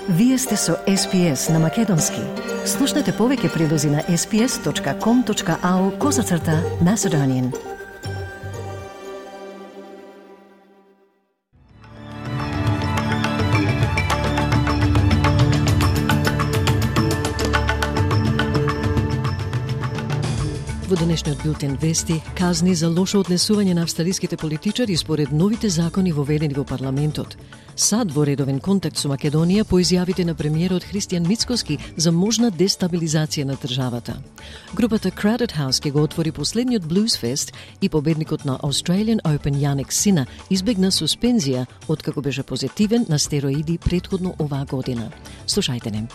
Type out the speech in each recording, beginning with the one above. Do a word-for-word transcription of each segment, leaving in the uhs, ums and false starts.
Вие сте со Ес Пи Ес на Македонски. Слушнете повеќе прилози на ес пи ес точка ком точка ау козацрта Macedonian. Во денешниот билтен вести, казни за лошо однесување на австралиските политичари според новите закони воведени во парламентот. САД во редовен контакт со Македонија по изјавите на премиерот Христијан Мицкоски за можна дестабилизација на државата. Групата Crowded House ќе го отвори последниот Blues Fest и победникот на Australian Open Jannik Sinner избегна суспензија откако беше позитивен на стероиди претходно оваа година. Слушајте не.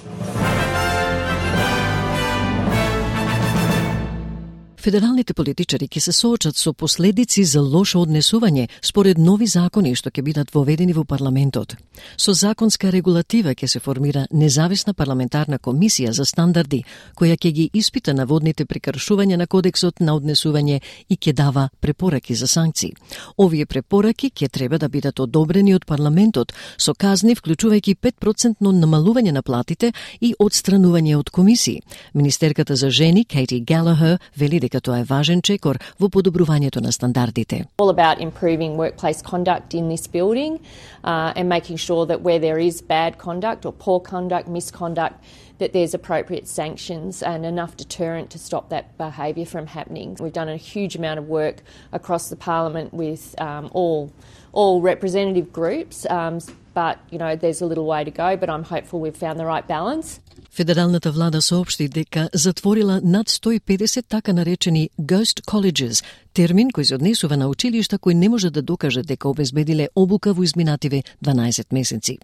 Федералните политичари ќе се соочат со последици за лошо однесување според нови закони што ќе бидат воведени во парламентот. Со законска регулатива ќе се формира независна парламентарна комисија за стандарди, која ќе ги испита наводните прекршувања на кодексот на однесување и ќе дава препораки за санкции. Овие препораки ќе треба да бидат одобрени од парламентот со казни вклучувајќи пет процентно намалување на платите и одстранување од комисии. Министерката за жени Кейти Галахер вели дека тоа е важен чекор во подобрувањето на стандардите. All about improving workplace conduct in this building uh, and making sure that where there is bad conduct or poor conduct, misconduct, that there's appropriate sanctions and enough deterrent to stop that behaviour from happening. We've done a huge amount of work across the parliament with um, all all representative groups, um, but you know there's a little way to go, but I'm hopeful we've found the right balance. Федералната влада соопшти дека затворила над сто и педесет така наречени ghost colleges, термин кој се однесува на училишта кои не може да докажат дека обезбедиле обука во изминативе дванаесет месеци.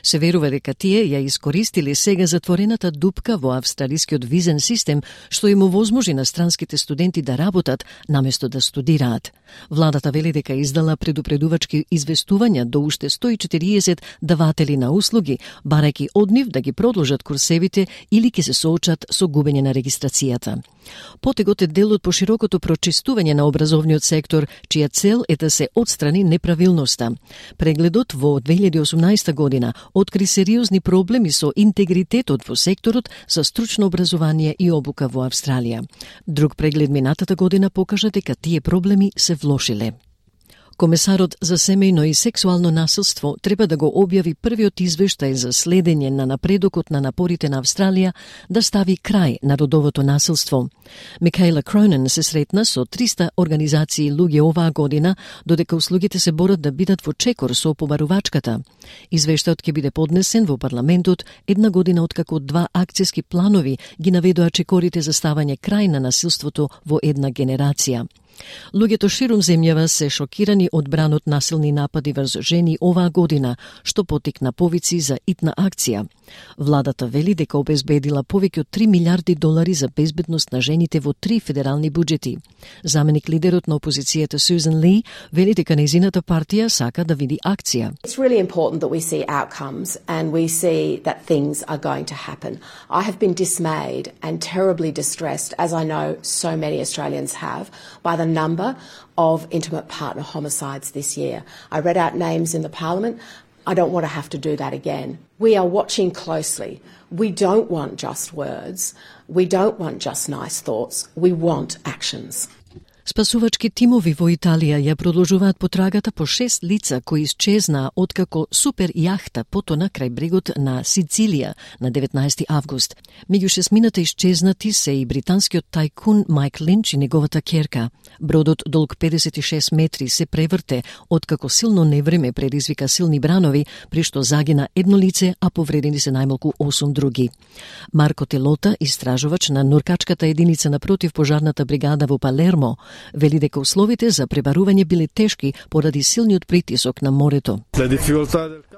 Се верува дека тие ја искористиле сега затворената дупка во австралискиот визен систем, што им овозможи на странските студенти да работат наместо да студираат. Владата вели дека издала предупредувачки известувања до уште сто и четириесет даватели на услуги, барајќи од нив да ги продолжат курсевите или ќе се соочат со губење на регистрацијата. Потегот е дел од поширокото прочистување на образовниот сектор, чија цел е да се отстрани неправилноста. Прегледот во две илјади и осумнаесета година откри сериозни проблеми со интегритетот во секторот за стручно образование и обука во Австралија. Друг преглед минатата година покажа дека тие проблеми се влошиле. Комесарот за семејно и сексуално насилство треба да го објави првиот извештај за следење на напредокот на напорите на Австралија да стави крај на родовото насилство. Микаела Кронен се сретна со триста организации луѓе оваа година, додека услугите се борат да бидат во чекор со побарувачката. Извештајот ќе биде поднесен во парламентот една година откако два акцијски планови ги наведоа чекорите за ставање крај на насилството во една генерација. Луѓето ширум земјава се шокирани од бранот насилни напади врз жени оваа година, што потикна повици за итна акција. Владата вели дека обезбедила повеќе од три милиарди долари за безбедност на жените во три федерални буџети. Заменик лидерот на опозицијата Сюзан Ли вели дека нејзината партија сака да види акција. It's really important that we see outcomes and we see that things are going to happen. I have been dismayed and terribly distressed, as I know so many Australians have, by the number of intimate partner homicides this year. I read out names in the Parliament. I don't want to have to do that again. We are watching closely. We don't want just words. We don't want just nice thoughts. We want actions. Спасувачки тимови во Италија ја продолжуваат потрагата по шест лица кои исчезнаа откако супер јахта потона крај брегот на Сицилија на деветнаесети август. Меѓу шестмината исчезнати се и британскиот тајкун Майк Линч и неговата ќерка. Бродот долг педесет и шест метри се преврте откако силно невреме предизвика силни бранови, при што загина едно лице, а повредени се најмалку осум други. Марко Телота, истражувач на нуркачката единица на противпожарната бригада во Палермо, вели дека условите за пребарување биле тешки поради силниот притисок на морето.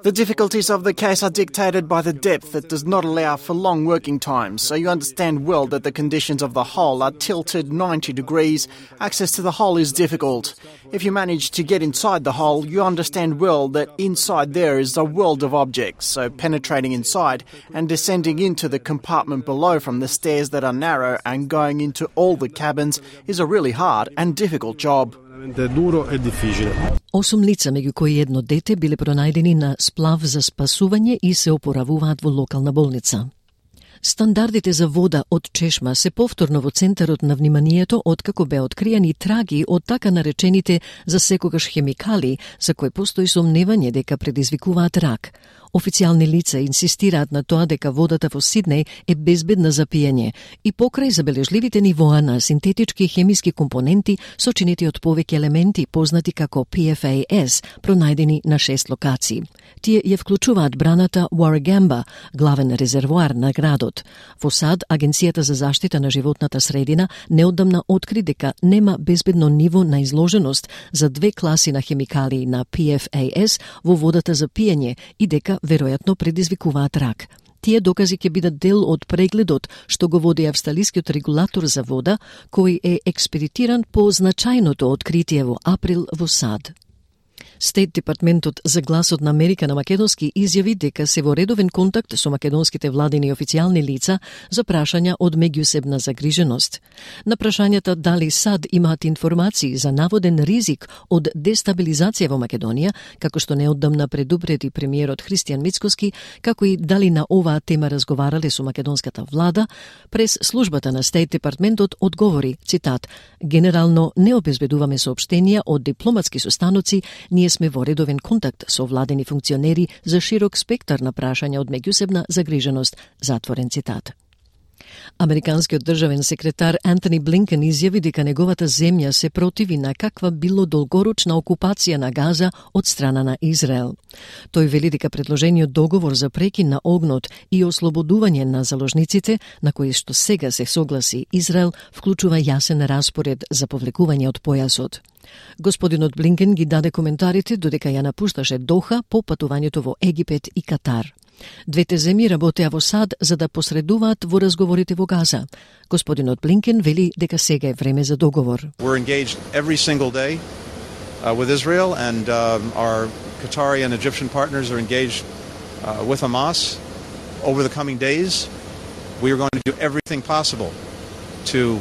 The difficulties of the case are dictated by the depth that does not allow for long working times, so you understand well that the conditions of the hull are tilted ninety degrees. Access to the hull is difficult. If you manage to get inside the hull, you understand well that inside there is a world of objects, so penetrating inside and descending into the compartment below from the stairs that are narrow and going into all the cabins is a really hard and difficult job. Осум лица, меѓу кои едно дете, биле пронајдени на сплав за спасување и се опоравуваат во локална болница. Стандардите за вода од чешма се повторно во центарот на вниманието откако беа откриени траги од така наречените за секогаш хемикали, за кои постои сомневање дека предизвикуваат рак. Официјални лица инсистираат на тоа дека водата во Сиднеј е безбедна за пиење и покрај забележливите нивоа на синтетички хемиски компоненти сочинети од повеќе елементи познати како P F A S, пронајдени на шест локации. Тие ја вклучуваат браната Warragamba, главен резервоар на градот. Во САД, Агенцијата за заштита на животната средина неодамна откри дека нема безбедно ниво на изложеност за две класи на хемикали на P F A S во водата за пиење и дека веројатно предизвикуваат рак. Тие докази ќе бидат дел од прегледот што го води австралискиот регулатор за вода, кој е експедитиран по значајното откритие во април во САД. Стейт Департментот за гласот на Америка на македонски изјави дека се во редовен контакт со македонските владини и официјални лица за прашања од меѓусебна загриженост. На прашањата дали САД имаат информации за наводен ризик од дестабилизација во Македонија, како што неодамна предупреди премиерот Христијан Мицкоски, како и дали на оваа тема разговарале со македонската влада, прес службата на Стейт Департментот одговори, цитат, генерално не обезбедуваме соопштенија од дипломатски состаноци, ние сме во редовен контакт со владени функционери за широк спектар на прашања од меѓусебна загриженост, затворен цитат. Американскиот државен секретар Антони Блинкен изјави дека неговата земја се противи на каква било долгорочна окупација на Газа од страна на Израел. Тој вели дека предложениот договор за прекин на огнот и ослободување на заложниците, на кои што сега се согласи Израел, вклучува јасен распоред за повлекување од појасот. Господинот Блинкен ги даде коментарите додека ја напушташе Доха по патувањето во Египет и Катар. Двете земји работеа во САД за да посредуваат во разговорите во Газа. Господинот Блинкен вели дека сега е време за договор. We're engaged every single day uh, with Israel and um, our Qatari and Egyptian partners are engaged uh, with Hamas. Over the coming days, we are going to do everything possible to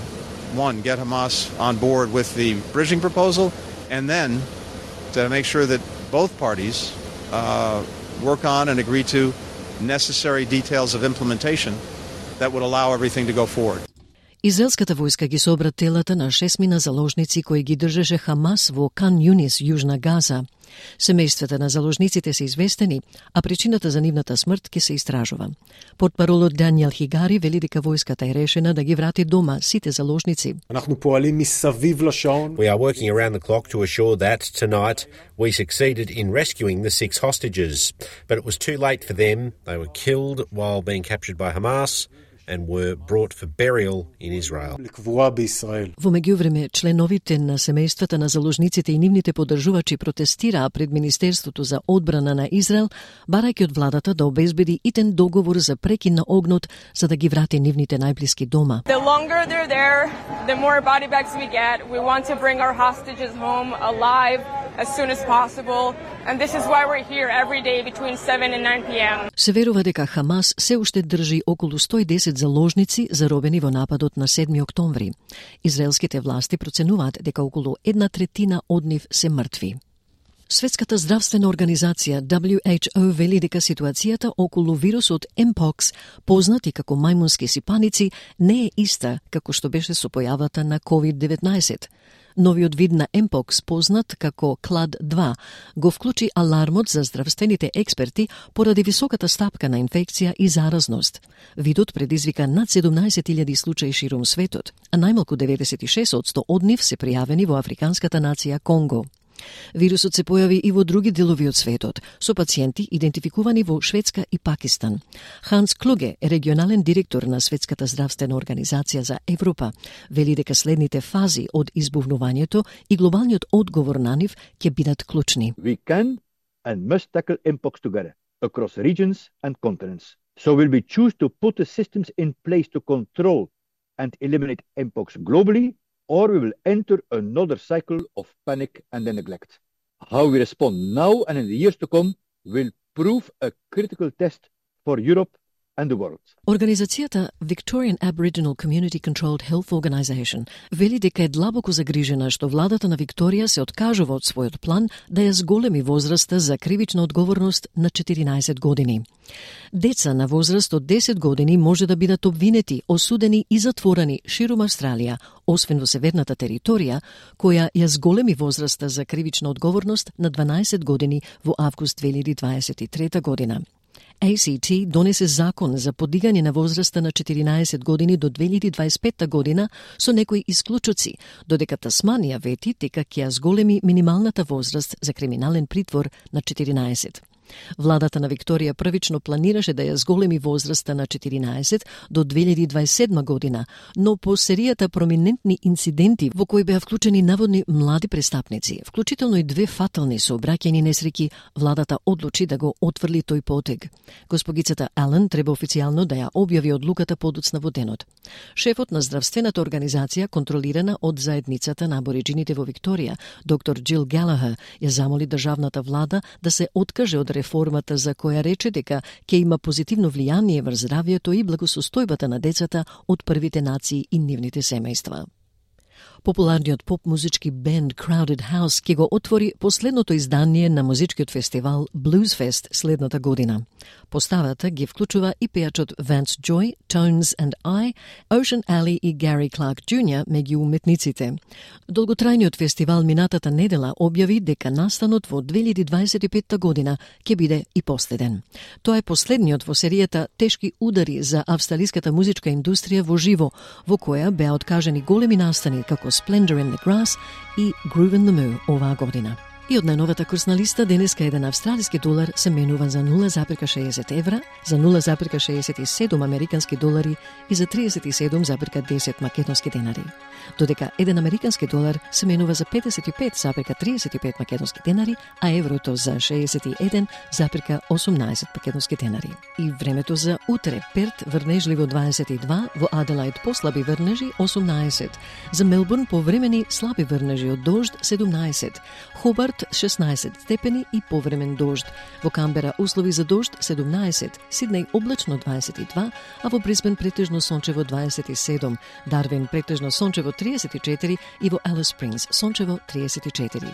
one, get Hamas on board with the bridging proposal, and then to make sure that both parties uh, work on and agree to necessary details of implementation that would allow everything to go forward. Израелската војска ги собра телата на шестмина заложници кои ги држеше Хамас во Кан Юнис, Јужна Газа. Семејствата на заложниците се известени, а причината за нивната смрт ќе се истражува. Портпаролот Даниел Хигари вели дека војската е решена да ги врати дома сите заложници. We are working around the clock to assure that tonight we succeeded in rescuing the six hostages, but it was too late for them. They were killed while being captured by Hamas and were brought for burial in Israel. Во меѓувреме, членовите на семејствата на заложниците и нивните поддржувачи протестираа пред Министерството за одбрана на Израел, барајќи од владата да обезбеди итен договор за прекин на огнот за да ги врати нивните најблиски дома. The longer they're there, the more body bags we get. We want to bring our hostages home alive as soon as possible. And this is why we're here every day between seven and nine p m Се верува дека Хамас се уште држи околу сто и десет заложници заробени во нападот на седми октомври. Израелските власти проценуваат дека околу една третина од нив се мртви. Светската здравствена организација W H O вели дека ситуацијата околу вирусот Mpox, познат и како мајмунски сипаници, не е иста како што беше со појавата на ковид деветнаесет. Новиот вид на Mpox, познат како клад два, го вклучи алармот за здравствените експерти поради високата стапка на инфекција и заразност. Видот предизвика над седумнаесет илјади случаи ширум светот, а најмалку деветдесет и шест одсто од нив се пријавени во африканската нација Конго. Вирусот се појави и во други делови од светот, со пациенти идентификувани во Шведска и Пакистан. Ханс Клуге, регионален директор на Светската здравствена организација за Европа, вели дека следните фази од избувнувањето и глобалниот одговор на нив ќе бидат клучни. We can and must tackle Mpox together across regions and continents. So will we choose to put the systems in place to control and eliminate Mpox globally, or we will enter another cycle of panic and neglect. How we respond now and in the years to come will prove a critical test for Europe and the world. Организацијата Victorian Aboriginal Community Controlled Health Organisation вели дека е длабоко загрижена што владата на Викторија се откажува од својот план да ја зголеми возраста за кривична одговорност на четиринаесет години. Деца на возраст од десет години може да бидат обвинети, осудени и затворени ширум Австралија, освен во северната територија, која ја зголеми возраста за кривична одговорност на дванаесет години во август две илјади дваесет и трета година. А С Т донесе закон за подигање на возраста на четиринаесет години до две илјади дваесет и пета година со некои исклучоци, додека Тасманија вети дека ќе ја зголеми минималната возраст за криминален притвор на четиринаесет. Владата на Викторија првично планираше да ја зголеми возраста на четиринаесет до две илјади дваесет и седма година, но по серијата проминентни инциденти во кои беа вклучени наводни млади престапници, вклучително и две фатални сообраќајни несреќи, владата одлучи да го отфрли тој потег. Госпогицата Ален треба официјално да ја објави одлуката подоцна во денот. Шефот на здравствената организација, контролирана од заедницата на абориџините во Викторија, доктор Джил Галахер, ја замоли државната влада да се откаже од реформата за која рече дека ќе има позитивно влијание врз здравјето и благосостојбата на децата од првите нации и нивните семејства. Популарниот поп-музички бенд Crowded House ќе го отвори последното издание на музичкиот фестивал Bluesfest следната година. Поставата ги вклучува и пејачот Vance Joy, Tones and I, Ocean Alley и Gary Clark Джуниор меѓу уметниците. Долготрајниот фестивал минатата недела објави дека настанот во две илјади дваесет и пета година ќе биде и последен. Тоа е последниот во серијата тешки удари за австралиската музичка индустрија во живо, во која беа откажани големи настани како Splendor in the Grass и Groove in the Moo оваа година. И од најновата курсна листа денеска еден австралиски долар се менува за нула запирка шеесет евра, за нула запирка шеесет и седум американски долари и за триесет и седум запирка десет македонски денари. Додека еден американски долар се менува за педесет и пет запирка триесет и пет македонски денари, а еврото за шеесет и еден запирка осумнаесет македонски денари. И времето за утре: Перт врнежливо дваесет и два, во Аделаид послаби врнежи осумнаесет, за Мелбурн повремени слаби врнежи од дожд седумнаесет, Хобарт шеснаесет степени и повремен дожд. Во Камбера услови за дожд седумнаесет, Сиднеј облачно дваесет и два, а во Брисбен претежно сончево дваесет и седум, Дарвин претежно сончево триесет и четири и во Алис Спрингс сончево триесет и четири.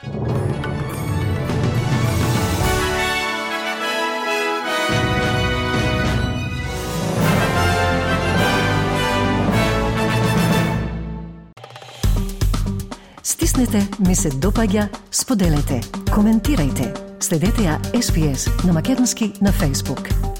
Стиснете, ми се допаѓа, споделете, коментирајте. Следете ја С Б С на македонски на Facebook.